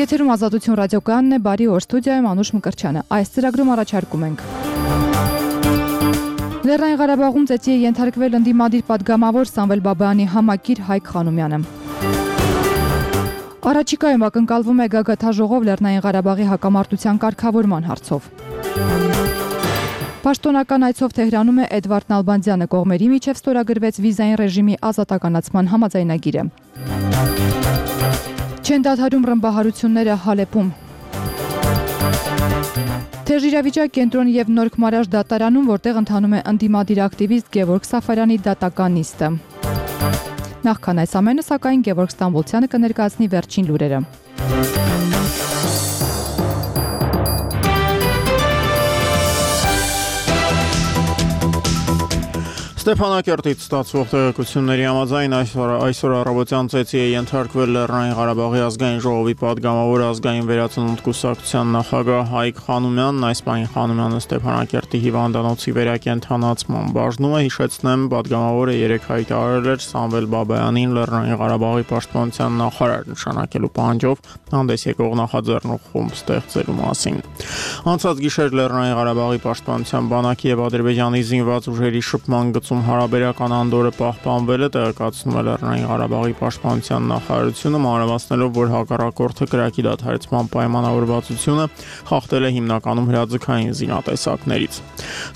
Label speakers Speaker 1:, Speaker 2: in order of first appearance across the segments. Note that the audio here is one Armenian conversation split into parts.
Speaker 1: Եթերում Ազատություն ռադիոկայանն է, բարի օր, ստուդիայում Անուշ Մկրտչյանը։ Այս ծրագրում առաջարկում ենք. Լեռնային Ղարաբաղում ծեծի է ենթարկվել ընդդիմադիր պատգամավոր Սամվել Բաբայանի համակիր Հայկ Խանոմյանը։ Առաջիկայում ակնկալվում է գագաթաժողով Լեռնային Ղարաբաղի հակամարտության կարգավորման հարցով։ Պաշտոնական այցով Թեհրանում է Էդվարդ Նալբանդյանը, կողմերի միջև ստորագրվեց վիզային ռեժիմի ազատականացման համաձայնագիրը։ Չեն դադարում ռմբահարությունները Հալեպում։ Թեժ իրավիճակ կենտրոն եւ Նոր Քմարաշ դատարանում, որտեղ ընթանում է ընդդիմադիր ակտիվիստ Գևորգ Սաֆարյանի դատական նիստը։ Նախքան այս ամենը, սակայն Գևորգ Ստամբոլցյանը կներկայացնի վերջին լուրերը։
Speaker 2: Ստեփանակերտից ստացվող տեղեկությունների համաձայն այսօր առավոտյան ծեծի է ենթարկվել Լեռնային Ղարաբաղի ազգային ժողովի պատգամավոր ազգային վերածնունդ կուսակցության նախագահ Հայկ Խանոմյանն, այս պահին Խանոմյանը Ստեփանակերտի հիվանդանոցի վերակենդանացման բաժնում է, հիշեցնեմ, պատգամավորը 3 հայտարարել էր Սամվել Բաբայանին Լեռնային Ղարաբաղի պաշտպանության նախարար նշանակելու պահանջով հանդես եկող նախաձեռնող խումբ ստեղծելու մասին։ Անցած գիշեր Լեռնային Ղարաբաղի պաշտպանության բանակի եւ Ադրբեջանի զինված ուժերի շփման հարաբերական անդորը պահպանվել է, տեղեկացնում է Լեռնային Ղարաբաղի պաշտպանության նախարարությունը, մանրամասնելով, որ հակառակորդը կրակի դադարեցման պայմանավորվածությունը խախտել է հիմնականում հրաձգային զինատեսակներից։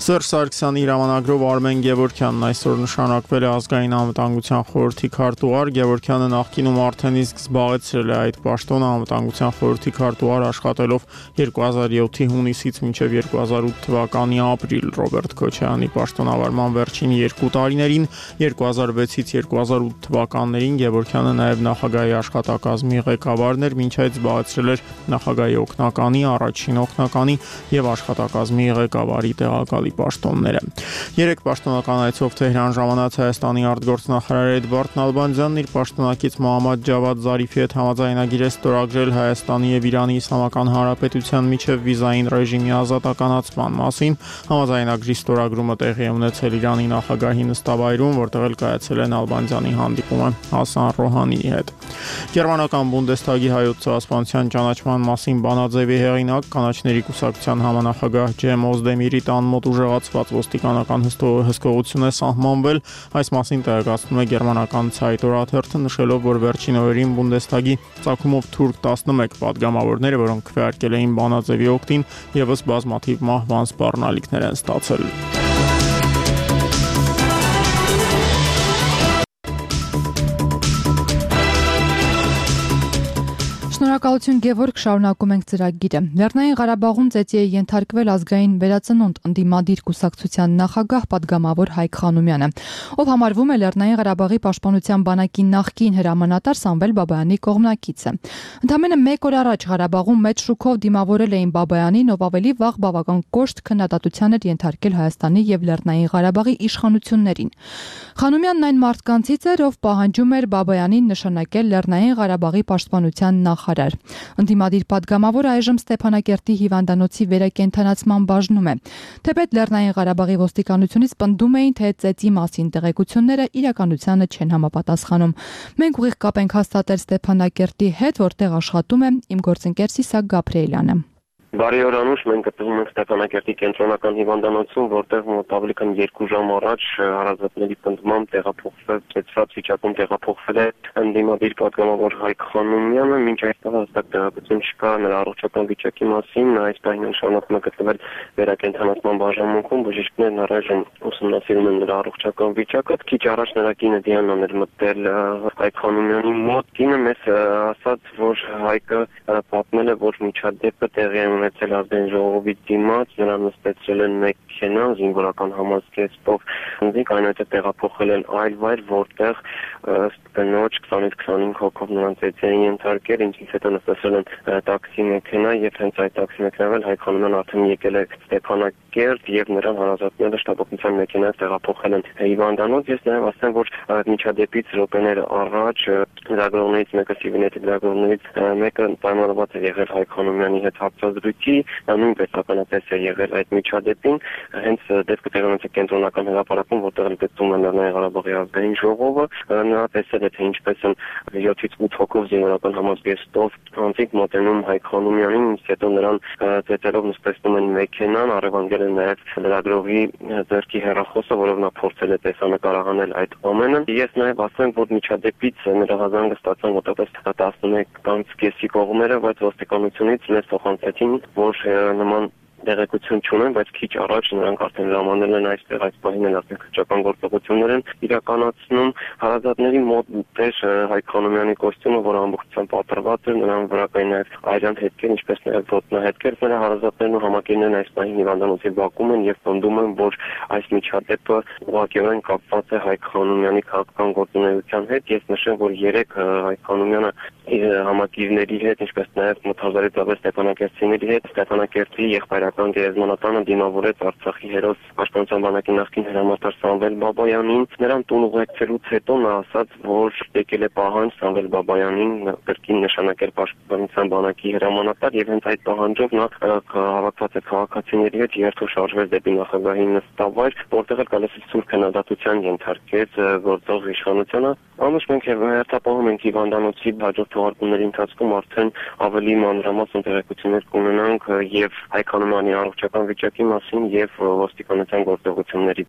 Speaker 2: Սերժ Սարգսյանի հրամանագրով Արմեն Գևորգյանն այսօր նշանակվել է ազգային անվտանգության խորհրդի քարտուղար։ Գևորգյանը նախկինում արդեն իսկ զբաղեցրել է այդ պաշտոնը անվտանգության խորհրդի քարտուղար աշխատելով 2007-ի հունիսից մինչև 2008 թվականի ապրիլ Ռոբերտ Քոչարյանի պաշտոնավարման վերջին 2 տարիներին, 2006-ից 2008 թվականներին Գևորգյանը նաև նախագահի աշխատակազմի ղեկավարն էր, մինչ այդ զբաղեցրել էր նախագահի օգնականի, առաջին օգնականի եւ աշխատակազմի ղեկավարի տեղակալի պաշտոնները։ 3 պաշտոնական այցով Թեհրան ժամանած Հայաստանի արտգործնախարար Էդվարդ Նալբանդյանն իր պաշտոնակից Մոհամմադ Ջավադ Զարիֆի հետ համաձայնագիր է ստորագրել Հայաստանի եւ Իրանի Իսլամական Հանրապետության միջև վիզային ռեժիմի ազատականացման մասին։ Համաձայնագրի ստորագրումը տեղի է ունեցել Իրանի նախագահի նստավայրում, որտեղ էլ կայացել է Նալբանդյանի հանդիպումը Հասան Ռոհանիի հետ։ Գերմանական Բունդեսթագի հայոց ցեղասպանության ճանաչման մասին բանաձևի հեղինակ, կանաչների կուսակցության համանախագահ Ջեմ Օզդեմիրի տան մոտ ուժեղացված ոստիկանական հսկողություն է սահմանվել։ Այս մասին տեղեկացնում է գերմանական Zeit օրաթերթը, նշելով, որ վերջին օրերին Բունդեսթագի ծագումով թուրք 11 պատգամավորները, որոնք քվեարկել էին բանաձևի օգտին, եւս բազմաթիվ մահվան սպառնալիքներ են ստացել։
Speaker 1: Շնորհակալություն Գևորգ, շարունակում ենք ծրագիրը։ Լեռնային Ղարաբաղում ծեծի է ենթարկվել ազգային վերածնունդ ընդդիմադիր կուսակցության նախագահ պատգամավոր Հայկ Խանոմյանը, ով համարվում է Լեռնային Ղարաբաղի պաշտպանության բանակի նախկին հրամանատար Սամվել Բաբայանի կողմնակիցը։ Ընդամենը 1 օր առաջ Ղարաբաղում մեծ շուքով դիմավորել էին Բաբայանին, ով ավելի վաղ բավական կոշտ քննադատության էր ենթարկել Հայաստանի եւ Լեռնային Ղարաբաղի իշխանություններին։ Խանոմյանն այն մարդկանցից էր, ով պահանջում էր Բաբայանին նշանակել Լեռնային Ղարաբաղի պաշտպանության նախարար։ Ընդդիմադիր պատգամավորը այժմ Ստեփանակերտի հիվանդանոցի վերակենդանացման բաժնում է։ Թեպետ Լեռնային Ղարաբաղի ոստիկանությունից պնդում էին, թե ծեծի մասին տեղեկությունները իրականությանը չեն համապատասխանում։ Մենք ուղիղ կապ ենք հաստատել Ստեփանակերտի հետ, որտեղ աշխատում է իմ գործընկեր Սիսակ Գաբրիելյանը։
Speaker 3: Բարի օր Անուշ, մենք գտնվում ենք Ստեփանակերտի կենտրոնական հիվանդանոցում, որտեղ մոտ ավելի քան 2 ժամ առաջ հարազատների պնդմամբ ծեծված վիճակում տեղափոխվել է ընդդիմադիր պատգամավոր Հայկ Խանոմյանը, մինչ այստեղ հստակ տեղեկություն չկա նրա առողջական վիճակի մասին, նա այս պահին շարունակում է գտնվել վերակենդանացման բաժանմունքում, բժիշկներն առայժմ ուսումնասիրում են նրա առողջական վիճակը։ Քիչ առաջ նրա կինը Դիանան էր մտել Հայկ Խանոմյանի մոտ, կինը մեզ ասաց, որ Հայկը պատմել է, որ միջադեպը տեղի է ունեցել ազգային ժողովի դիմաց, նրան նստեցրել են մեքենա զինվորական համազգեստով, այնուհետև տեղափոխել են այլ վայր, որտեղ կնոջ 20-25 հոգով նրանց էին ենթարկել, ինչից հետո նստեցրել են տաքսի մեքենա եւ հենց այդ տաքսի մեքենայով Հայկ Խանոմյանն արդեն եկել է Ստեփանակերտ եւ նրան հարազատները շտաբօգնության մեքենայով տեղափոխել են հիվանդանոց։ Ես նաեւ ասեմ, որ միջադեպից րոպեներ առաջ լրագրողներից մեկը, Սիվինետի լրագրողներից մեկը պայմանավորված էր եղել Հայկ Խանոմյանի հետ հաղորդած զրույցի նույնպես ականատես է եղել այդ միջադեպին, հենց դեպքը տեղի ունեցել կենտրոնական հրապարակում, որտեղ գտնվում է Լեռնային Ղարաբաղի ազգային ժողովը, նա տեսել է, թե ինչպես են 7-ից 8 հոգով զինվորական համազգեստով անձիկ մոտենում Հայկ Խանոմյանին, հետո նրան ծեծելով նստեցնում են մեքենան, առևանգել են նաև լրագրողի ձեռքի հեռախոսը, որով նա փորձել է տեսանկարահանել այդ ամենը։ Ես նաև ասեմ, որ միջադեպից նրա հազանգը ստացան մոտավորապես 11:30 կողմերը, բայց ոստիկանությունից մեզ փոխանցեցին, որ նման տեղեկություն չունեն, բայց քիչ առաջ նրանք արդեն ժամանել են այստեղ, այս պահին էլ արդեն քրճական գործողություններ են իրականացնում։ Հարազատների մոտ դեր Հայկ Խանոմյանի կոստյումը, որը ամբողջությամբ պատրված էր, նրան վրա կային նաև այրան հետքեր, ինչպես նաև ոտնահետքեր։ Նրա հարազատներն ու համակիրներն այս պահին հիվանդանոցի բակում են եւ պնդում են, որ այս միջադեպը ուղղակիորեն կապված է Հայկ Խանոմյանի քաղաքական գործունեության հետ։ Ես նշեմ, որ 3 Հայկ Խանոմյանը իր համակիրների հետ, ինչպես նաև Մոթազարի Ծավե Ստեփանակերտցիների հետ Ստեփանակերտի եղբայրական գերեզմանատանը դիմավորեց Արցախի հերոս պաշտպանության բանակի նախկին հրամանատար Սամվել Բաբայանին։ Նրան տուն ուղեկցելուց հետո նա ասաց, որ եկել է պահանջ Սամվել Բաբայանին կրկին նշանակել պաշտպանության բանակի հրամանատար եւ հենց այդ պահանջով նա հավաքված է քաղաքացիների հետ երթով շարժվեց դեպի նախագահի նստավայր, որտեղ էլ կալեսի սուր քննադատության ենթարկեց գործող իշխանությունը։ Ամուր մենք հերթապահում ենք հիվանդանոցի հաջորդ թողարկումների ընթացքում արդեն ավելի մանրամասն տեղեկություններ կունենանք եւ Հայկ Խանոմյանի առողջական վիճակի մասին եւ ոստիկանության գործողությունների։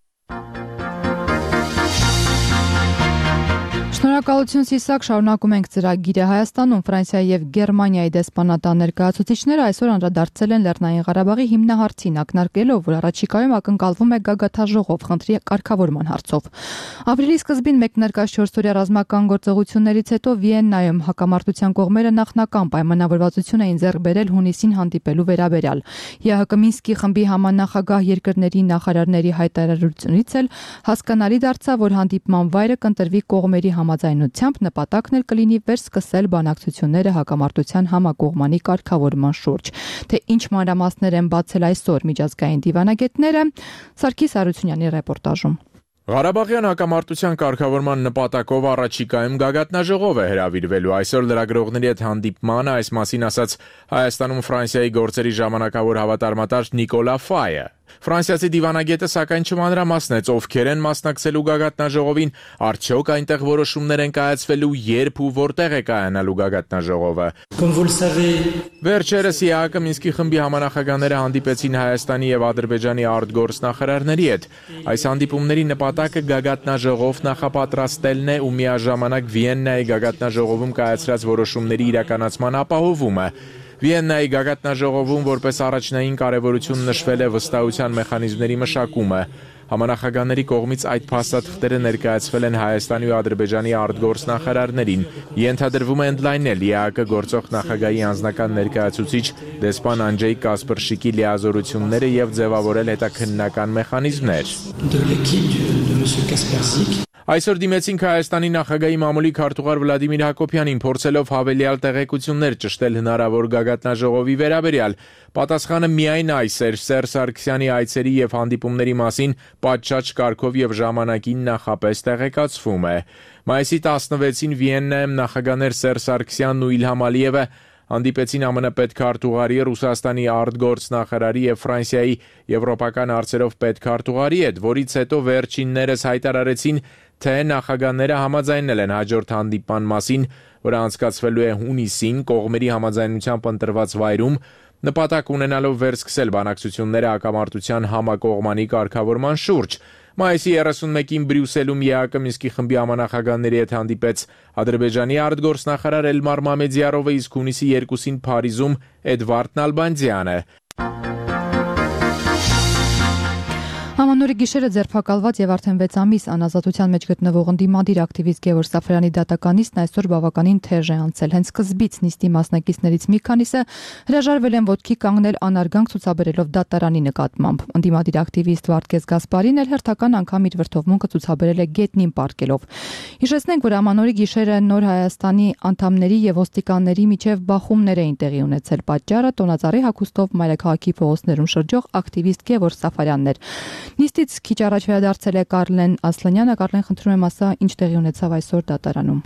Speaker 1: Շնորհակալություն Սիսակ, շարունակում ենք ծրագիրը։ Հայաստանում, Ֆրանսիայի եւ Գերմանիայի դեսպանատան ներկայացուցիչները այսօր անդրադարձել են Լեռնային Ղարաբաղի հիմնահարցին, ակնարկելով, որ առաջիկայում ակնկալվում է գագաթաժողով խնդրի կարգավորման հարցով։ Ապրիլի սկզբին մեկնարկած 4-օրյա ռազմական գործողություններից հետո Վիեննայում հակամարտության կողմերը նախնական պայմանավորվածություն էին ձեռք բերել հունիսին հանդիպելու վերաբերյալ։ ԵՀԿ Մինսկի խմբի համանախագահ երկրների նախարարների հայտարարությունից էլ հասկանալի դարձավ, որ հանդիպման վայրը կընտրվի կողմերի համաձայնությամբ, նպատակն էլ կլինի վերսկսել բանակցությունները հակամարտության համակողմանի կարգավորման շուրջ։ Թե ինչ մանրամասներ են բացել այսօր միջազգային դիվանագետները, Սարգիս Արությունյանի ռեպորտաժում։
Speaker 4: Ղարաբաղյան հակամարտության կարգավորման նպատակով առաջիկայում գագաթնաժողով է հրավիրվելու։ Այսօր լրագրողների հետ հանդիպմանը այս մասին ասաց Հայաստանում Ֆրանսիայի գործերի ժամանակավոր հավատարմատար Նիկոլա Ֆայը։ Ֆրանսիացի դիվանագետը սակայն չմանրամասնեց ովքեր են մասնակցելու գագաթնաժողովին, արդյոք այնտեղ որոշումներ են կայացվելու, երբ ու որտեղ է կայանալու գագաթնաժողովը։ Վերջերս ԵԱՀԿ Մինսկի խմբի համանախագահները հանդիպեցին Հայաստանի եւ Ադրբեջանի արտգործնախարարների հետ։ Այս հանդիպումների նպատակը գագաթնաժողով նախապատրաստելն է ու միաժամանակ Վիեննայի գագաթնաժողովում կայացրած որոշումների իրականացման ապահովումը։ Վիեննայի գագաթնաժողովում որպես առաջնային կարևորություն նշվել է վստահության մեխանիզմների մշակումը։ Համանախագահների կողմից այդ փաստաթղթերը ներկայացվել են Հայաստանի ու Ադրբեջանի արտգործնախարարներին։ Ենթադրվում է ընդլայնել ԵԱՀԿ գործող նախագահի անձնական ներկայացուցիչ դեսպան Անջեյ Կասպրշիկի լիազորությունները եւ ձևավորել հետաքննական մեխանիզմներ։ Այսօր դիմեցինք Հայաստանի նախագահի մամուլի քարտուղար Վլադիմիր Հակոբյանին, փորձելով հավելյալ տեղեկություններ ճշտել հնարավոր գագաթնաժողովի վերաբերյալ։ Պատասխանը միայն այս էր՝ Սերժ Սարգսյանի այցերի եւ հանդիպումների մասին պատշաճ կարգով եւ ժամանակին նախապես տեղեկացվում է։ Մայիսի 16-ին Վիեննայում նախագահներ Սերժ Սարգսյանն ու Իլհամ Ալիևը հանդիպեցին ԱՄՆ պետքարտուղարի, Ռուսաստանի արտգործնախարարի եւ Ֆրանսիայի եվրոպական հարցերով պետքարտուղարի հետ, որից հետո վերջիններս հայտարարեցին, թե նախագահները համաձայնել են հաջորդ հանդիպման մասին, որը անցկացվելու է հունիսին կողմերի համաձայնությամբ ընտրված վայրում, նպատակ ունենալով վերսկսել բանակցությունները հակամարտության համակողմանի կարգավորման շուրջ։ Մայիսի 31-ին Բրյուսելում ԵԱՀԿ Մինսկի խմբի համանախագահների հետ հանդիպեց Ադրբեջանի արտգործնախարար Էլմար Մամեդյարովը, իսկ հունիսի 2-ին Փարիզում Էդվարդ Նալբանդյանը։
Speaker 1: Ամանորի գիշերը ձերբակալված եւ արդեն 6 ամիս անազատության մեջ գտնվող ընդդիմադիր ակտիվիստ Գևորգ Սաֆարյանի դատականիստն այսօր բավականին թեժ է անցել։ Հենց սկզբից նիստի մասնակիցներից մի քանիսը հրաժարվել են ոտքի կանգնել անարգանք ցուցաբերելով դատարանի նկատմամբ։ Ընդդիմադիր ակտիվիստ Վարդգես Գասպարին էլ հերթական անգամ իր վրդովմունքը ցուցաբերել է գետնին պառկելով։ Հիշեցնենք, որ Ամանորի գիշերը Նոր Հայաստանի անդամների եւ ոստիկանների միջև բախումներ էին տեղի ունեցել։ Պատճառը տոնածառի հագուստով մայրաքաղաքի փողոցներում շրջող ակտիվիստ Գևորգ Սաֆարյանն էր։ նիստից քիչ առաջ վերադարձել է Կարլեն Ասլանյանը։ Կարլեն, խնդրում եմ ասա, ինչ տեղի ունեցավ այսօր դատարանում։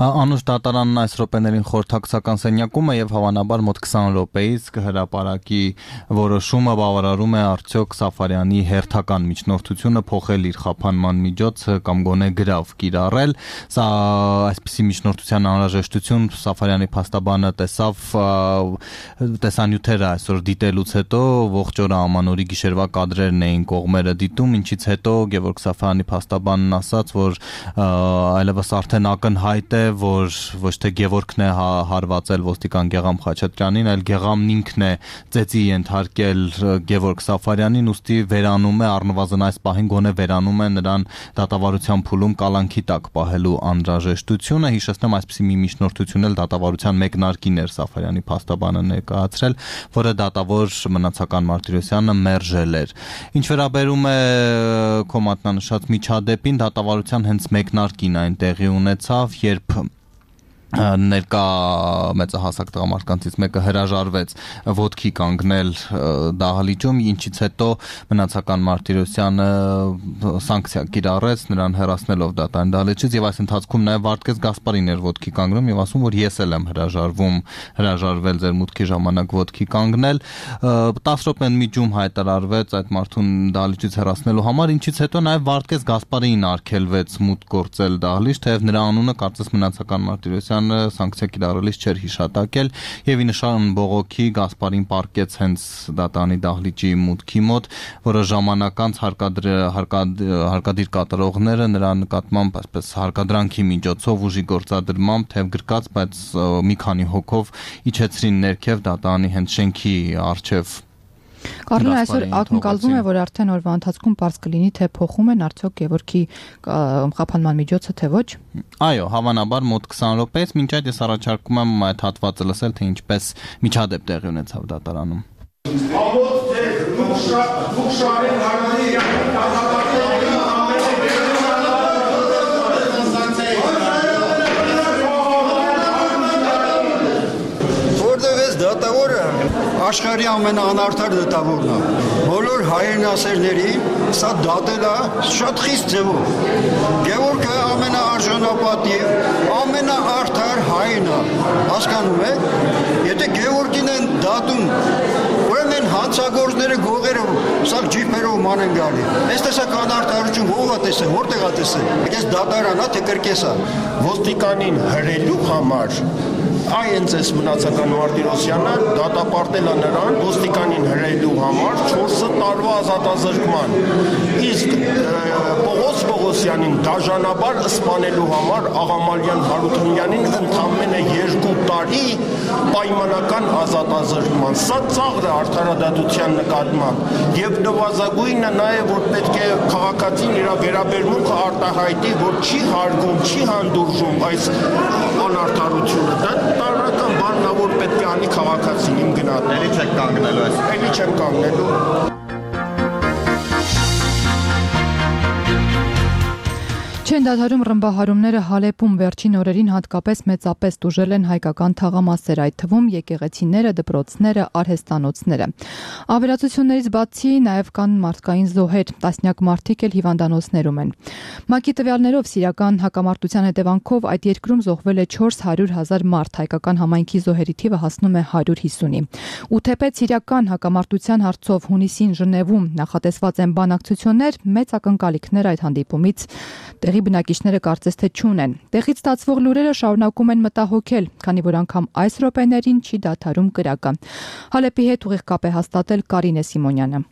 Speaker 5: Անուշ դատարանն այս րոպեներին խորհրդակցական սենյակում է եւ հավանաբար մոտ 20 րոպեից կհրապարակի որոշումը բավարարում է արդյոք Սաֆարյանի հերթական միջնորդությունը փոխել իր խափանման միջոցը կամ գոնե գրավ կիրառել։ Սա այսպիսի միջնորդության անհրաժեշտություն Սաֆարյանի փաստաբանը տեսավ տեսանյութերը այսօր դիտելուց հետո ողջ օրը ամանորի գիշերվա կադրերն էին կողմերը դիտում, ինչից հետո Գևորգ Սաֆարյանի փաստաբանն ասաց, որ այլևս արդեն ակնհայտ է, որ ոչ թե Գևորգն է հարվածել ոստիկան Գեգամ Խաչատրյանին, այլ Գեգամն ինքն է ծեծի ենթարկել Գևորգ Սաֆարյանին, ուստի վերանում է առնվազն այս պահին գոնե վերանում է նրան դատավարության փուլում կալանքի տակ պահելու անհրաժեշտությունը։ Հիշեցնեմ, այսպիսի մի միջնորդություն էլ դատավարության մեկնարկին էր Սաֆարյանի փաստաբանը ներկայացրել, որը դատավոր Մնացական Մարտիրոսյանը մերժել էր։ Ինչ վերաբերում է քո մատնանշած միջադեպին, դատավարության հենց մեկնարկին այն տեղի ունեցավ, երբ ներկա մեծահասակ տղամարդկանցից մեկը հրաժարվեց ոտքի կանգնել դահլիճում, ինչից հետո Մնացական Մարտիրոսյանը սանկցիա կիրառեց նրան հեռացնելով դատարան դահլիճից եւ այս ընթացքում նաեւ Վարդգես Գասպարին էր ոտքի կանգնում եւ ասում, որ ես էլ եմ հրաժարվել ձեր մուտքի ժամանակ ոտքի կանգնել։ 10 րոպեն միջում հայտարարվեց այդ մարդուն դահլիճից հեռացնելու համար, ինչից հետո նաեւ Վարդգես Գասպարին արգելվեց մուտք գործել դահլիճ, թեև նրա անունը կարծես Մնացական Մարտիրոսյանը սանկցիա կիրառելիս չէր հիշատակել եւ ի նշան բողոքի Գասպարին պարկեց հենց դատարանի դահլիճի մուտքի մոտ, որը ժամանակ անց հարկադիր կատարողները նրա նկատմամբ այսպես հարկադրանքի միջոցով ուժի գործադրմամբ թեև գրկած, բայց մի քանի հոգով իջեցրին ներքև դատարանի հենց շենքի առջև։
Speaker 1: Կարլեն, այսօր ակնկալվում է, որ արդեն օրվա ընթացքում պարզ կլինի, թե փոխում են արդյոք Գևորգի խափանման միջոցը, թե ոչ։
Speaker 5: Այո, հավանաբար մոտ 20 րոպեից, մինչ այդ ես առաջարկում եմ այդ հատվածը լսել, թե ինչպես միջադեպ տեղի ունեցավ դատարանում։
Speaker 6: Դատավորը աշխարհի ամենաանարդար դատավորն է։ Բոլոր հայրենասերներին սա դատել է շատ խիստ ձևով։ Գևորգը ամենաարժանապատիվ, ամենաարդար հայրն է։ Հասկանում եք, եթե Գևորգին են դատում, ուրեմն հանցագործները գողերը սա ջիփերով ման են գալի։ Այս տեսակ անարդարություն ո՞վ է տեսել, որտեղ է տեսել։ Այս դատարանն է, թե կրկես է։
Speaker 7: Ոստիկանին հրելու համար այն ձեզ Մնացական Մարտիրոսյանը դատապարտել է նրան ոստիկանին հրելու համար 4 տարվա ազատազրկման, իսկ Պողոս Պողոսյանին դաժանաբար սպանելու համար Աղամալյան Հարությունյանին ընդամենը 2 տարի պայմանական ազատազրկման։ Սա ծաղր է արդարադատության նկատմամբ եւ նվազագույնը նաեւ որ պետք է քաղաքացին իր վերաբերմունքը արտահայտի, որ չի հարգում, չի հանդուրժում այս անարդարությունը։ Դա տարական բանն է, որ պետք է անի քաղաքացին իմ գնահատել։
Speaker 5: Էլի չեք կանգնելու այս։
Speaker 7: Էլի չեմ կանգնելու։
Speaker 1: Չեն դադարում ռմբահարումները Հալեպում վերջին օրերին հատկապես մեծապես տուժել են հայկական թաղամասեր, այդ թվում եկեղեցիները, դպրոցները, արհեստանոցները։ Ավերածություններից բացի նաև կան մարդկային զոհեր, տասնյակ մարդիկ էլ հիվանդանոցներում են։ ՄԱԿ-ի տվյալներով սիրիական հակամարտության հետևանքով այդ երկրում զոհվել է 400,000 մարդ, հայկական համայնքի զոհերի թիվը հասնում է 150-ի։ Ու թեպետ սիրիական հակամարտության հարցով հունիսին Ժնևում նախատեսված են բանակցություններ, մեծ ակնկալիքներ այդ հանդիպումից տեղի բնակիչները կարծես թե չունեն։ Տեղից ստացվող լուրերը շարունակում են մտահոգել, քանի որ անգամ այս րոպեներին չի դադարում կրակը։ Հալեպի հետ ուղիղ կապ է հաստատել Կարինե Սիմոնյանը։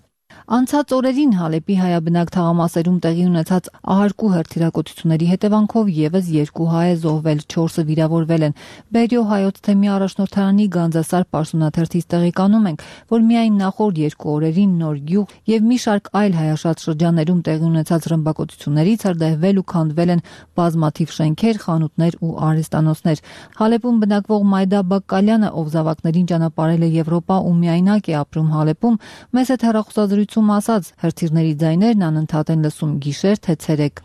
Speaker 8: Անցած օրերին Հալեպի հայաբնակ թաղամասերում տեղի ունեցած ահարկու հերթիրակոծությունների հետևանքով եւս 2 հայ է զոհվել, 4-ը վիրավորվել են։ Բերյո հայոց թեմի առաջնորդարանի Գանձասար պարսունաթերթից տեղեկանում ենք, որ միայն նախորդ 2 օրերին Նոր Գյուղ եւ մի շարք այլ հայաշատ շրջաններում տեղի ունեցած ռմբակոծություններից հրդեհվել ու քանդվել են բազմաթիվ շենքեր, խանութներ ու արհեստանոցներ։ Հալեպում բնակվող Մայդա Բակկալյանը, ով զավակներին ճանապարհել է Եվրոպա ու միայնակ է ապրում Հալեպում, մեծ հետ հեռախոսազրույցում ասաց, հրթիռների ձայներն անընդհատ են լսում գիշեր թե ցերեկ։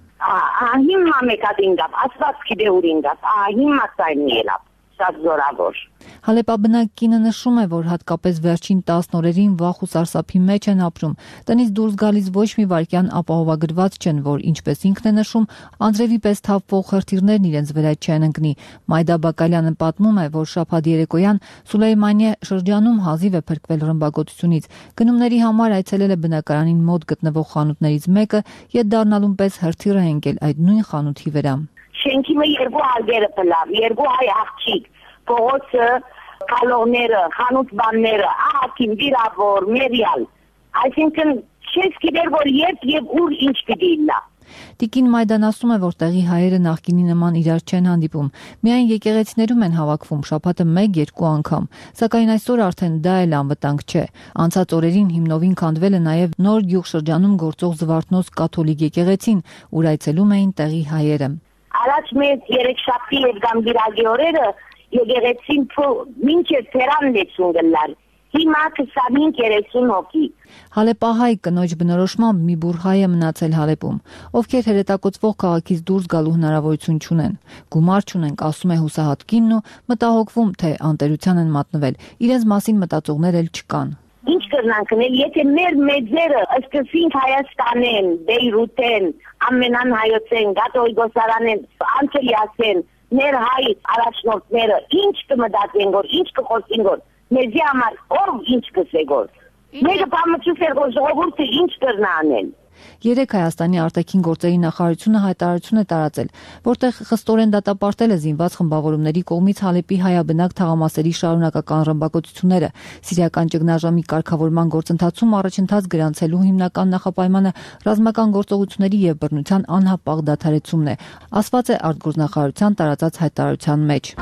Speaker 9: Հիմա մեկադին գավ, ասված գիտե ուրին գավ, հիմա ցայնի ելավ, շատ զորավոր։
Speaker 8: Հալեպաբնակ կինը նշում է, որ հատկապես վերջին 10 օրերին վախ ու սարսափի մեջ են ապրում։ Տնից դուրս գալիս ոչ մի վայրկյան ապահովագրված չեն, որ ինչպես ինքն է նշում, անձրևի պես թափվող հրթիռներն իրենց վրա չեն ընկնի։ Մայդա Բակալյանը պատմում է, որ շաբաթ երեկոյան Սուլեյմանիե շրջանում հազիվ է փրկվել ռմբակոծությունից։ Գնումների համար այցելել է բնակարանին մոտ գտնվող խանութներից մեկը, ետ դառնալուն պես հրթիռ է ընկել այդ նույն խանութի վրա։
Speaker 9: Շենքի մեջ երկու ալգերը փլավ, երկու հայ աղջիկ, փողոցը կալողները, խանութբանները, ահագին վիրավոր, մերյալ, այսինքն չես գիտեր, որ երբ և ուր ինչ պիտի իլնա։
Speaker 8: Տիկին Մայդան ասում է, որ տեղի հայերը նախկինի նման իրար չեն հանդիպում, միայն եկեղեցիներում են հավաքվում շաբաթը 1-2 անգամ, սակայն այսօր արդեն դա էլ անվտանգ չէ։ Անցած օրերին հիմնովին քանդվել է նաև Նոր Գյուղ շրջանում գործող Զվարթնոց կաթոլիկ եկեղեցին, ուր այցելում էին տեղի հայերը։
Speaker 9: Առաջ մեզ երեքշաբթի և գամբիրագի օրերը եկեղեցին մինչև թերան լեցուն գլար, հիմա 25-30 հոգի։
Speaker 8: Հալեպահայ կնոջ բնորոշմամբ մի բուռ հայ է մնացել Հալեպում, ովքեր հրետակոծվող քաղաքից դուրս գալու հնարավորություն չունեն։ Գումար չունենք, ասում է հուսահատ կինն ու մտահոգվում, թե անտերության են մատնվել, իրենց մասին մտածողներ էլ չկան։
Speaker 9: Ինչ կրնանք անել, եթե մեր մեծերը սկսենք Հայաստանեն, Բեյրութեն, ամենան հայոցեն, Գատոյի գոսարանեն, Անտելիասեն, մեր հայ առաջնորդները ինչ կմտածեն գոր, ինչ կխոսին գոր, մեզի համար ով ինչ կսե գոր։ Մեկը պամծուս էր գոր ժողովուրդը ինչ կրնա անել։
Speaker 8: Երեք Հայաստանի արտաքին գործերի նախարարությունը հայտարարություն է տարածել, որտեղ խստորեն դատապարտել է զինված խմբավորումների կողմից Հալեպի հայաբնակ թաղամասերի շարունակական ռմբակոծությունները։ Սիրիական ճգնաժամի կարգավորման գործընթացում առաջընթաց գրանցելու հիմնական նախապայմանը ռազմական գործողությունների եւ բռնության անհապաղ դադարեցումն է, ասված է արտգործնախարարության տարածած հայտարարության մեջ։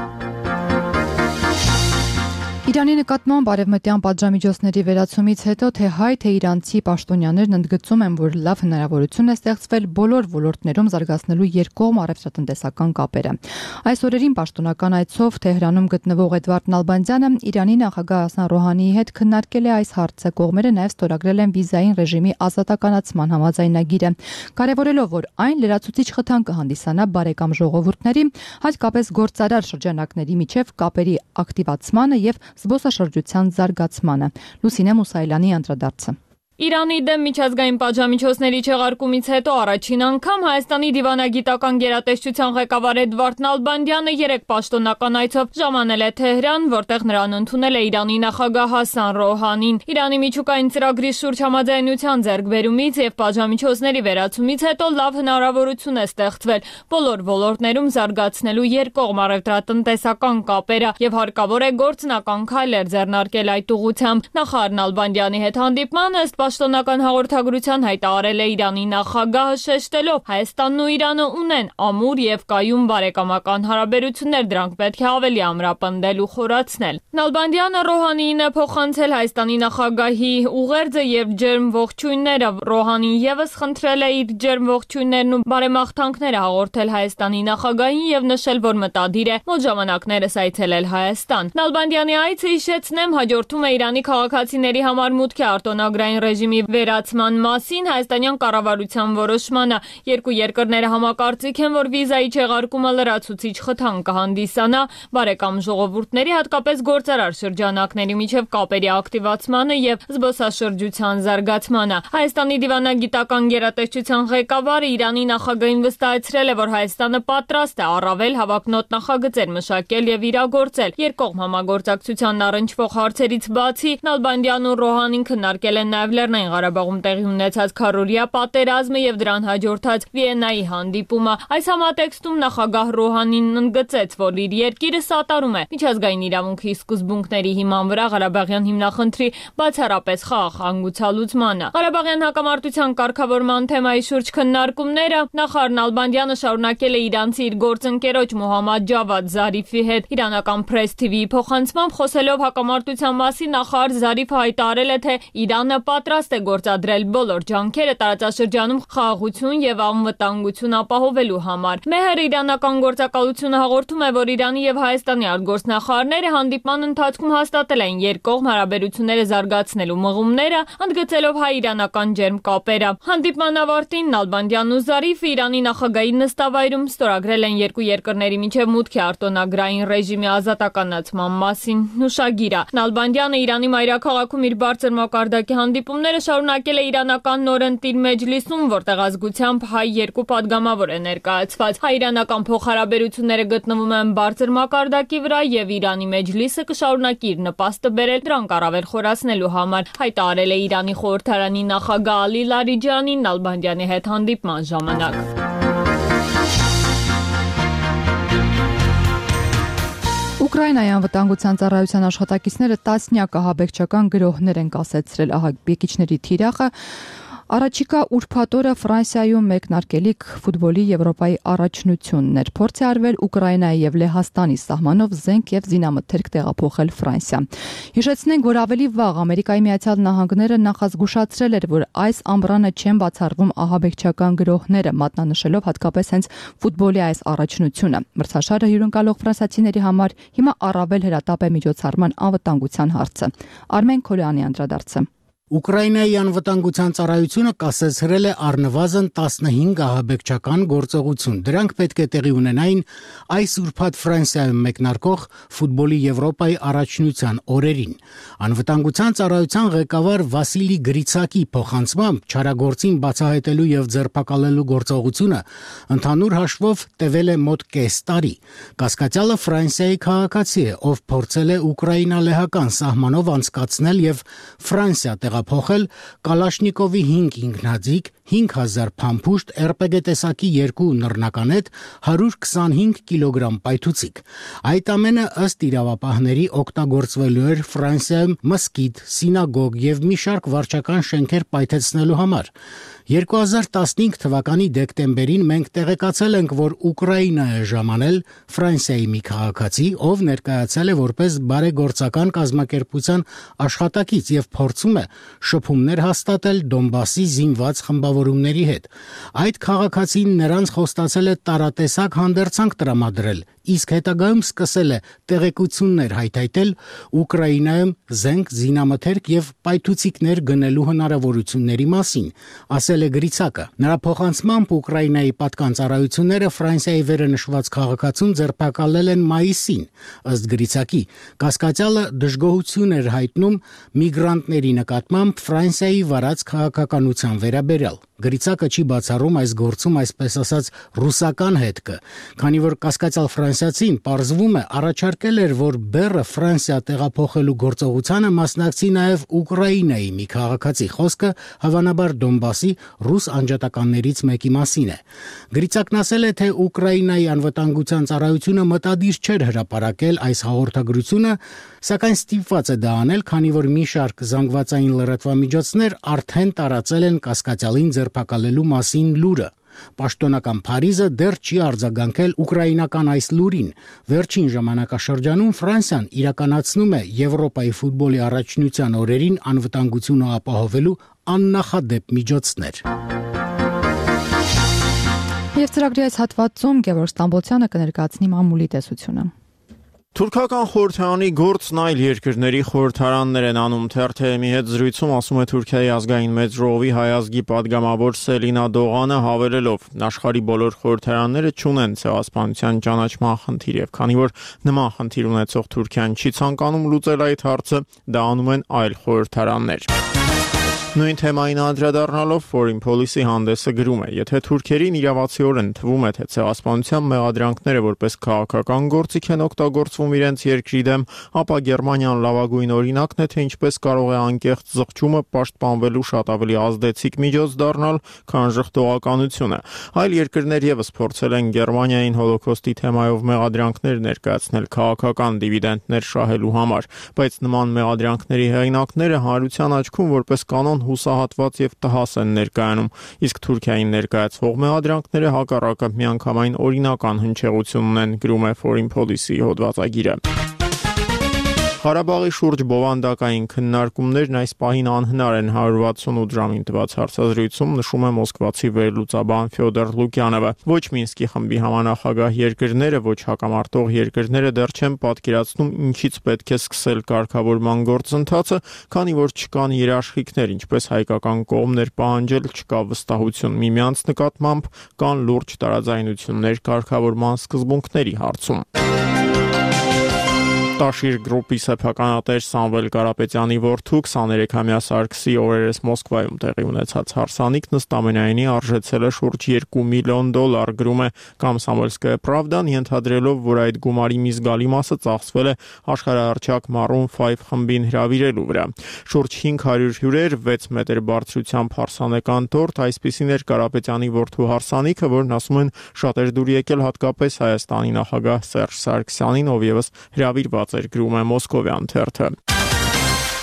Speaker 1: Իրանի նկատմամբ արևմտյան պատժամիջոցների վերացումից հետո թե հայ, թե իրանցի պաշտոնյաներն ընդգծում են, որ լավ հնարավորություն է ստեղծվել բոլոր ոլորտներում զարգացնելու երկկողմ առևտրատնտեսական կապերը։ Այս օրերին պաշտոնական այցով Թեհրանում գտնվող Էդվարդ Նալբանդյանը Իրանի նախագահ Հասան Ռոհանիի հետ քննարկել է այս հարցը, կողմերը նաև ստորագրել են վիզային ռեժիմի ազատականացման համաձայնագիրը, կարևորելով, որ այն լրացուցիչ խթան կհանդիսանա բարեկամ ժողովուրդների, հատկապես գործարար շրջանակների միջև կապերի ակտիվացմանը եւ զբոսաշրջության զարգացմանը։ Լուսինե Մուսայելյանի անդրադարձը։
Speaker 10: Իրանի դեմ միջազգային պատժամիջոցների չեղարկումից հետո առաջին անգամ Հայաստանի դիվանագիտական գերատեսչության ղեկավար Էդվարդ Նալբանդյանը երեք պաշտոնական այցով ժամանել է Թեհրան, որտեղ նրան ընդունել է Իրանի նախագահ Հասան Ռոհանին։ Իրանի միջուկային ծրագրի շուրջ համաձայնության ձեռքբերումից եւ պատժամիջոցների վերացումից հետո լավ հնարավորություն է ստեղծվել բոլոր ոլորտներում զարգացնելու երկկողմ առևտրատնտեսական կապերը եւ հարկավոր է գործնական քայլեր ձեռնարկել այդ ուղղությամբ։ Նախարար Նալբանդյանի հետ հանդիպման ըստ պաշտոնական հաղորդագրության հայտարարել է Իրանի նախագահը, շեշտելով Հայաստանն ու Իրանը ունեն ամուր եւ կայուն բարեկամական հարաբերություններ, դրանք պետք է ավելի ամրապնդել ու խորացնել։ Նալբանդյանը Ռոհանիին է փոխանցել Հայաստանի նախագահի ուղերձը եւ ջերմ ողջույնները։ Ռոհանին եւս խնդրել է իր ջերմ ողջույններն ու բարեմաղթանքները հաղորդել Հայաստանի նախագահին եւ նշել, որ մտադիր է մոտ ժամանակներս այցելել Հայաստան։ Նալբանդյանի այցը, հիշեցնեմ, հաջորդում է Իրանի քաղաքացիների համար մուտքի արտոնագրային ռեժիմի վերացման մասին հայաստանյան կառավարության որոշմանը։ Երկու երկրները համակարծիք են, որ վիզայի չեղարկումը լրացուցիչ խթան կհանդիսանա բարեկամ ժողովուրդների, հատկապես գործարար շրջանակների միջև կապերի ակտիվացմանը եւ զբոսաշրջության զարգացմանը։ Հայաստանի դիվանագիտական գերատեսչության ղեկավարը Իրանի նախագահին վստահեցրել է, որ Հայաստանը պատրաստ է առավել հավակնոտ նախագծեր մշակել եւ իրագործել։ Երկկողմ համագործակցության առնչվող հարցերից բացի Նալբանդյանն ու Ռոհանին քննարկել են նաև Լեռնային Ղարաբաղում տեղի ունեցած քառօրյա պատերազմը եւ դրան հաջորդած Վիեննայի հանդիպումը։ Այս համատեքստում նախագահ Ռոհանին ընդգծեց, որ իր երկիրը սատարում է միջազգային իրավունքի սկզբունքների հիման վրա Ղարաբաղյան հիմնախնդրի բացառապես խաղաղ հանգուցալուծմանը։ Ղարաբաղյան հակամարտության կարգավորման թեմայի շուրջ քննարկումները նախարար Նալբանդյանը շարունակել է իրանցի իր գործընկերոջ Մոհամմադ Ջավադ Զարիֆի հետ։ Իրանական Press TV-ի փոխանցմամբ խոսելով հակամարտության մասին նախարար Զարիֆը հայտարարել է, թե Իրանը պատրաստ պատրաստ է գործադրել բոլոր ջանքերը տարածաշրջանում խաղաղություն եւ անվտանգություն ապահովելու համար։ Մեհեր իրանական գործակալությունը հաղորդում է, որ Իրանի եւ Հայաստանի արտգործնախարարները հանդիպման ընթացքում հաստատել են երկկողմ հարաբերությունները զարգացնելու մղումները, ընդգծելով հայ-իրանական ջերմ կապերը։ Հանդիպման ավարտին Նալբանդյանն ու Զարիֆը Իրանի նախագահի նստավայրում ստորագրել են երկու երկրների միջև մուտքի արտոնագրային ռեժիմի ազատականացման մասին հուշագիրը։ Նալբանդյանը Իրանի մայրաքաղաքում իր բարձր մակարդակի հանդիպումները շարունակել է իրանական նորընտիր մեջլիսում, որտեղ ազգությամբ հայ երկու падգամավոր է ներկայացված։ Հայ-իրանական փոխհարաբերությունները գտնվում են բարձր մակարդակի վրա եւ Իրանի մեջլիսը կշարունակի իր նպաստը բերել դրանք առավել խորացնելու համար, հայտարարել է Իրանի խորհրդարանի նախագահ Ալի Լարիջանի Նալբանդյանի հետ հանդիպման ժամանակ։
Speaker 1: Ուկրաինայի անվտանգության ծառայության աշխատակիցները տասնյակ ահաբեկչական գրոհներ են կասեցրել ահաբեկիչների թիրախը Առաջիկա ուրբաթ օրը Ֆրանսիայում մեկնարկելիք ֆուտբոլի Եվրոպայի առաջնությունն էր։ Փորձ է արվել Ուկրաինայի եւ Լեհաստանի սահմանով զենք եւ զինամթերք տեղափոխել Ֆրանսիա։ Հիշեցնենք, որ ավելի վաղ Ամերիկայի Միացյալ Նահանգները նախազգուշացրել էր, որ այս ամռանը չեն բացառվում ահաբեկչական գրոհները, մատնանշելով հատկապես հենց ֆուտբոլի այս առաջնությունը։ Մրցաշարը հյուրընկալող ֆրանսիացիների համար հիմա առավել հրատապ է միջոցառման անվտանգության հարցը։ Արմեն Քոլյանի անդրադարձը։
Speaker 11: Ուկրաինայի անվտանգության ծառայությունը կասեցրել է առնվազն 15 ահաբեկչական գործողություն։ Դրանք պետք է տեղի ունենային այս ուրբաթ Ֆրանսիայում մեկնարկող ֆուտբոլի Եվրոպայի առաջնության օրերին։ Անվտանգության ծառայության ղեկավար Վասիլի Գրիցակի փոխանցմամբ չարագործին բացահայտելու եւ ձերբակալելու գործողությունը ընդհանուր հաշվով տևել է մոտ կես տարի։ Կասկածյալը Ֆրանսիայի քաղաքացի է, ով փորձել է ուկրաինա-լեհական սահմանով անցկացնել եւ Ֆրանսիա փոխել Կալաշնիկովի 5 ինքնաձիգ, 5000 փամփուշտ, RPG տեսակի 2 նռնականետ, 125 կիլոգրամ պայթուցիկ։ Այդ ամենը ըստ իրավապահների օգտագործվելու էր Ֆրանսիայում մսկիթ, սինագոգ եւ մի շարք վարչական շենքեր պայթեցնելու համար։ 2015 թվականի դեկտեմբերին մենք տեղեկացել ենք, որ Ուկրաինա է ժամանել Ֆրանսիայի մի քաղաքացի, ով ներկայացել է որպես բարեգործական կազմակերպության աշխատակից եւ փորձում է շփումներ հաստատել Դոնբասի զինված խմբավորումների հետ։ Այդ քաղաքացին նրանց խոստացել է տարատեսակ հանդերձանք տրամադրել, իսկ հետագայում սկսել է տեղեկություններ հայթայթել Ուկրաինայում զենք, զինամթերք եւ պայթուցիկներ գնելու հնարավորությունների մասին, ասել է Գրիցակը։ Նրա փոխանցմամբ Ուկրաինայի պատկանծառայությունները Ֆրանսիայի վերը նշված քաղաքացուն ձերբակալել են մայիսին։ Ըստ Գրիցակի, կասկածյալը դժգոհություն էր հայտնում միգրանտների նկատմամբ Ֆրանսիայի վարած քաղաքականության վերաբերյալ։ Գրիցակը չի բացառում այս գործում այսպես ասած ռուսական հետքը, քանի որ կասկածյալ ֆրանսիացին պարզվում է առաջարկել էր, որ բեռը Ֆրանսիա տեղափոխելու գործողությանը մասնակցի նաև Ուկրաինայի մի քաղաքացի, խոսքը հավանաբար Դոնբասի ռուս անջատականներից մեկի մասին է։ Գրիցակն ասել է, թե Ուկրաինայի անվտանգության ծառայությունը մտադիր չէր հրապարակել այս հաղորդագրությունը, սակայն ստիպված է դա անել, քանի որ մի շարք զանգվածային լրատվամիջոցներ արդեն տարածել են կասկածյալին ձերբակալելու մասին լուրը։ Պաշտոնական Փարիզը դեռ չի արձագանքել ուկրաինական այս լուրին։ Վերջին ժամանակաշրջանում Ֆրանսիան իրականացնում է Եվրոպայի ֆուտբոլի առաջնության օրերին անվտանգությունը ապահովելու աննախադեպ միջոցներ։
Speaker 1: Եվ ծրագրի այս հատվածում Գևորգ Ստամբոլցյանը կներկայացնի մամուլի տեսությունը։
Speaker 2: Թուրքական խորհրդարանի գործն այլ երկրների խորհրդարաններ են անում թերթի հետ զրույցում ասում է Թուրքիայի ազգային մեծ ժողովի հայ ազգի падգամավոր Սելինա Դողանը, հավելելով աշխարհի բոլոր խորհրդարանները չունեն ցեղասպանության ճանաչման խնդիր եւ քանի որ նման խնդիր ունեցող Թուրքիան չի ցանկանում լուծել այդ հարցը, դա անում են այլ խորհրդարաններ։ Նույն թեմային անդրադառնալով Foreign Policy հանդեսը գրում է. եթե թուրքերին իրավացիորեն թվում է, թե ցեղասպանության մեղադրանքները որպես քաղաքական գործիք են օգտագործվում իրենց երկրի դեմ, ապա Գերմանիան լավագույն օրինակն է, թե ինչպես կարող է անկեղծ զղջումը պաշտպանվելու շատ ավելի ազդեցիկ միջոց դառնալ, քան ժխտողականությունը։ Այլ երկրներ եւս փորձել են Գերմանիային հոլոկոստի թեմայով մեղադրանքներ ներկայացնել քաղաքական դիվիդենդներ շահելու համար, բայց նման մեղադրանքների հեղինակները հանրության աչքում որպես կանոն հուսահատված եւ տհաս են ներկայանում, իսկ Թուրքիային ներկայացվող մեղադրանքները հակառակը միանգամայն օրինական հնչեղություն ունեն, գրում է Foreign Policy հոդվածագիրը։ Ղարաբաղի շուրջ բովանդակային քննարկումներն այս պահին անհնար են 168 ժամին տված հարցազրույցում նշում է մոսկվացի վերլուծաբան Ֆյոդոր Լուկյանովը։ Ոչ Մինսկի խմբի համանախագահ երկրները, ոչ հակամարտող երկրները դեռ չեն պատկերացնում ինչից պետք է սկսել կարգավորման գործընթացը, քանի որ չկան երաշխիքներ, ինչպես հայկական կողմն էր պահանջել, չկա վստահություն միմյանց նկատմամբ, կան լուրջ տարաձայնություններ կարգավորման սկզբունքների հարցում։ Տաշիր գրուպի սեփականատեր Սամվել Կարապետյանի որդու 23-ամյա Սարգսի օրերս Մոսկվայում տեղի ունեցած հարսանիքն ըստ ամենայնի արժեցել է շուրջ $2 միլիոն, գրում է Կոմսոմոլսկայա Պրավդան, ենթադրելով, որ այդ գումարի մի զգալի մասը ծախսվել է աշխարհահռչակ Maroon 5 խմբին հրավիրելու վրա։ Շուրջ 500 հյուրեր, 6 մետր բարձրությամբ հարսանեկան տորտ, այսպիսին էր Կարապետյանի որդու հարսանիքը, որն ասում են շատ էր դուր եկել հատկապես Հայաստանի նախագահ Սերժ Սարգսյանին, ով ևս հրավիրված էր, գրում է Մոսկովյան թերթը։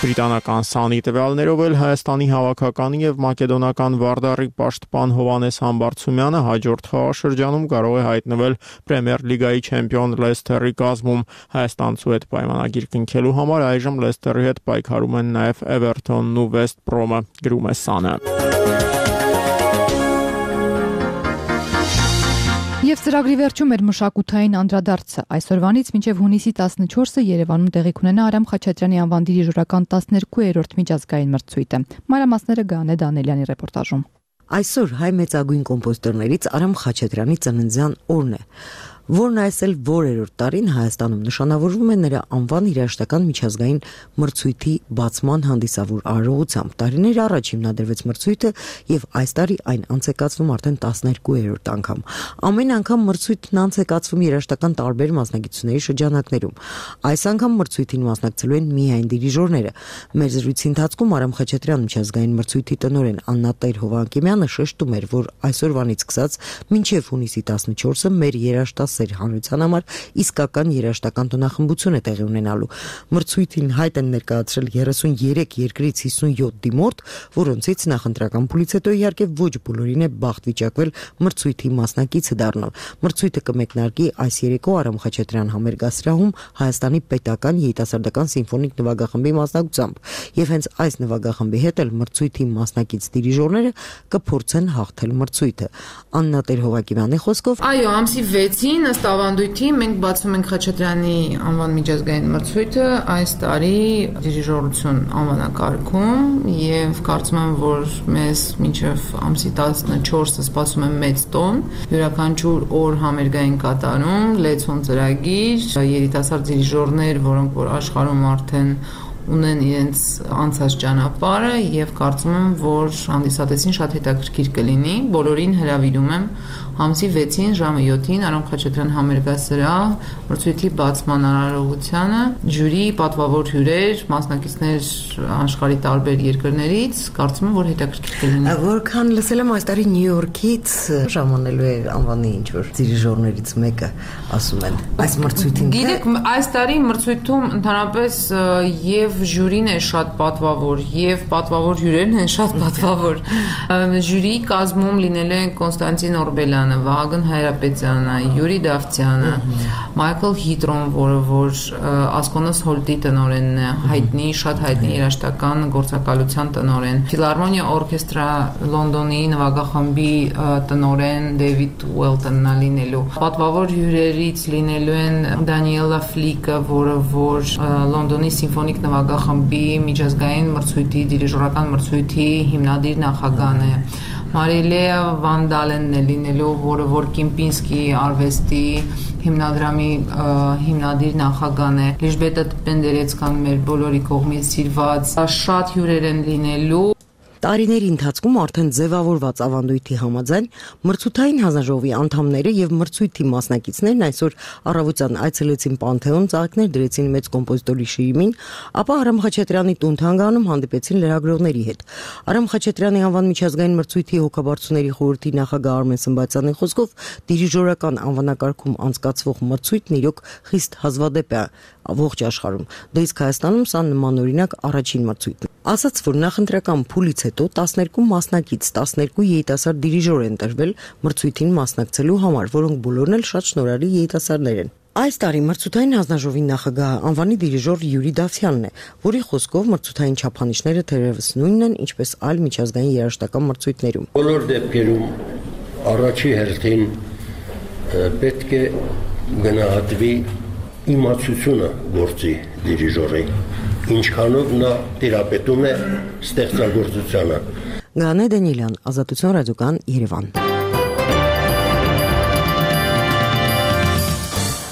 Speaker 2: Բրիտանական Սանի տվյալներով էլ Հայաստանի հավաքականի եւ մակեդոնական Վարդարի պաշտպան Հովանես Համբարձումյանը հաջորդ խաղաշրջանում կարող է հայտնվել Պրեմիեր լիգայի չեմպիոն Լեսթերի կազմում։ Հայաստանցու հետ պայմանագիր կնքելու համար այժմ Լեսթերի հետ պայքարում են նաեւ Էվերթոնն ու Վեստ Բրոմը, գրում է Սանը։
Speaker 1: Եվ ծրագրի վերջում էր մշակութային անդրադարձը։ Այսօրվանից մինչև հունիսի 14-ը Երևանում տեղի կունենա Արամ Խաչատրյանի անվան դիրիժորական 12-րդ միջազգային մրցույթը։ Մանրամասները Գանե Դանելյանի ռեպորտաժում։
Speaker 12: Այսօր հայ մեծագույն կոմպոզիտորներից Արամ Խաչատրյանի ծննդյան օրն է, որն այսել որերորդ տարին Հայաստանում նշանավորվում է նրա անվան երաժշտական միջազգային մրցույթի բացման հանդիսավոր արարողությամբ։ Տարիներ առաջ հիմնադրվեց մրցույթը եւ այս տարի այն անց է կացվում արդեն 12-րդ անգամ։ Ամեն անգամ մրցույթն անց է կացվում երաժշտական տարբեր մասնագիտությունների շրջանակներում։ Այս անգամ մրցույթին մասնակցելու են միայն դիրիժորները։ Մեր զրույցի ընթացքում Արամ Խաչատրյան միջազգային մրցույթի տնօրեն Աննա Տեր-Հովհաննիսյանը շեշտում էր, որ այսօրվանից սկսած մինչև հունիսի 14-ը մեր երաժշտասեր հանրության համար իսկական երաժշտական տոնախմբություն է տեղի ունենալու։ Մրցույթին հայտ են ներկայացրել 33 երկրից 57 դիմորդ, որոնցից նախընտրական փուլից հետո իհարկե ոչ բոլորին է բախտ վիճակվել մրցույթի մասնակիցը դառնալ։ Մրցույթը կմեկնարկի այս երեկո Արամ Խաչատրյան համերգասրահում Հայաստանի պետական երիտասարդական սիմֆոնիկ նվագախմբի մասնակցությամբ, եւ հենց այս նվագախմբի հետ էլ մրցույթի մասնակից դիրիժորները կփորձեն հաղթել մրցույթը։ Աննա Տեր-Հովհաննիսյանի խոսքով,
Speaker 13: այո, ամսի 6-ին ըստ ավանդույթի մենք բացում ենք Խաչատրյանի անվան միջազգային մրցույթը այս տարի դիրիժորություն անվանակարգում եւ կարծում եմ, որ մեզ մինչեւ ամսի 14-ը սպասում է մեծ տոն, յուրաքանչյուր օր համերգային կատարում, լեցուն ծրագիր, երիտասարդ դիրիժորներ, որոնք որ աշխարհում արդեն ունեն իրենց անցած ճանապարհը եւ կարծում եմ, որ հանդիսատեսին շատ հետաքրքիր կլինի։ Բոլորին հրավիրում եմ ամսի 6-ին ժամը 7-ին Արամ Խաչատրյան համերգասրահ մրցույթի բացման արարողությանը ժյուրի, պատվավոր հյուրեր, մասնակիցներ աշխարհի տարբեր երկրներից, կարծում եմ, որ հետաքրքիր կլինի։
Speaker 12: Որքան լսել եմ այս տարի Նյու Յորքից ժամանելու է անվանի ինչ որ դիրիժորներից մեկը, ասում են, այս մրցույթին։
Speaker 13: Գիտեք, այս տարի մրցույթում ընդհանրապես եւ ժյուրին է շատ պատվավոր, եւ պատվավոր հյուրերն են շատ պատվավոր։ Ժյուրի կազմում լինել են Կոնստանտին Օրբելյանը, Վահագն Հայրապետյանը, Յուրի Դավթյանը, Մայքլ Հիտրոն, որը որ Ասկոնոս Հոլտի տնօրենն է, հայտնի, շատ հայտնի երաժշտական գործակալության տնօրեն, Ֆիլհարմոնիա օրքեստրա Լոնդոնի նվագախմբի տնօրեն Դեվիդ Ուելտոնն է լինելու։ Պատվավոր հյուրերից լինելու են Դանիելա Ֆլիկը, որը որ Լոնդոնի սիմֆոնիկ նվագախմբի միջազգային մրցույթի, դիրիժորական մրցույթի հիմնադիր նախագահն է։ Մարիլեա Վանդալենն է լինելու, որը որ Կիմպինսկի արվեստի հիմնադրամի հիմնադիր նախագահն է։ Լիժբետա Պենդերեցկան մեր բոլորի կողմից սիրված շատ հյուրեր են լինելու։
Speaker 12: Տարիների ընթացքում արդեն ձևավորված ավանդույթի համաձայն մրցութային հանձնաժողովի անդամները եւ մրցույթի մասնակիցներն այսօր առավոտյան այցելեցին Պանթեոն, ծաղիկներ դրեցին մեծ կոմպոզիտորի շիրիմին, ապա Արամ Խաչատրյանի տուն թանգարանում հանդիպեցին լրագրողների հետ։ Արամ Խաչատրյանի անվան միջազգային մրցույթի հոգաբարձուների խորհրդի նախագահ Արմեն Սմբացյանի խոսքով դիրիժորական անվանակարգում անցկացվող մրցույթն իրոք խիստ հազվադեպ է ողջ աշխարհում։ Դա իսկ Հայաստանում սա նմանօրինակ առաջին մրցույթն է։ Ասաց, որ նախընտրական փուլից հետո 12 մասնակից, 12 երիտասարդ դիրիժոր են տրվել մրցույթին մասնակցելու համար, որոնք բոլորն էլ շատ շնորհալի երիտասարդներ են։ Այս տարի մրցութային հանձնաժողովի նախագահ անվանի դիրիժոր Յուրի Դավթյանն է, որի խոսքով մրցութային չափանիշները թերևս նույնն են, ինչպես այլ միջազգային երաժշտական մրցույթներում։
Speaker 14: Բոլոր դեպքերում առաջի հերթին պետք է գնահատվի իմացությունը գործի դիրիժորի, ինչքանով նա տիրապետում է ստեղծագործությանը։
Speaker 12: Գանե Դանիելյան, Ազատություն ռադիոկան, Երևան։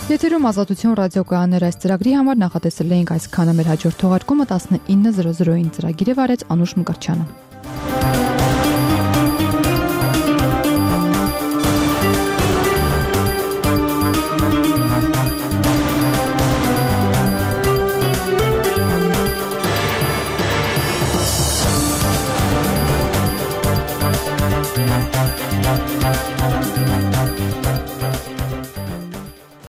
Speaker 1: Եթերում Ազատություն ռադիոկայաններ այս ծրագրի համար նախատեսել էինք այսքանը, մեր հաջորդ թողարկումը 19:00-ին ծրագիրը վարեց Անուշ Մկրտչյանը։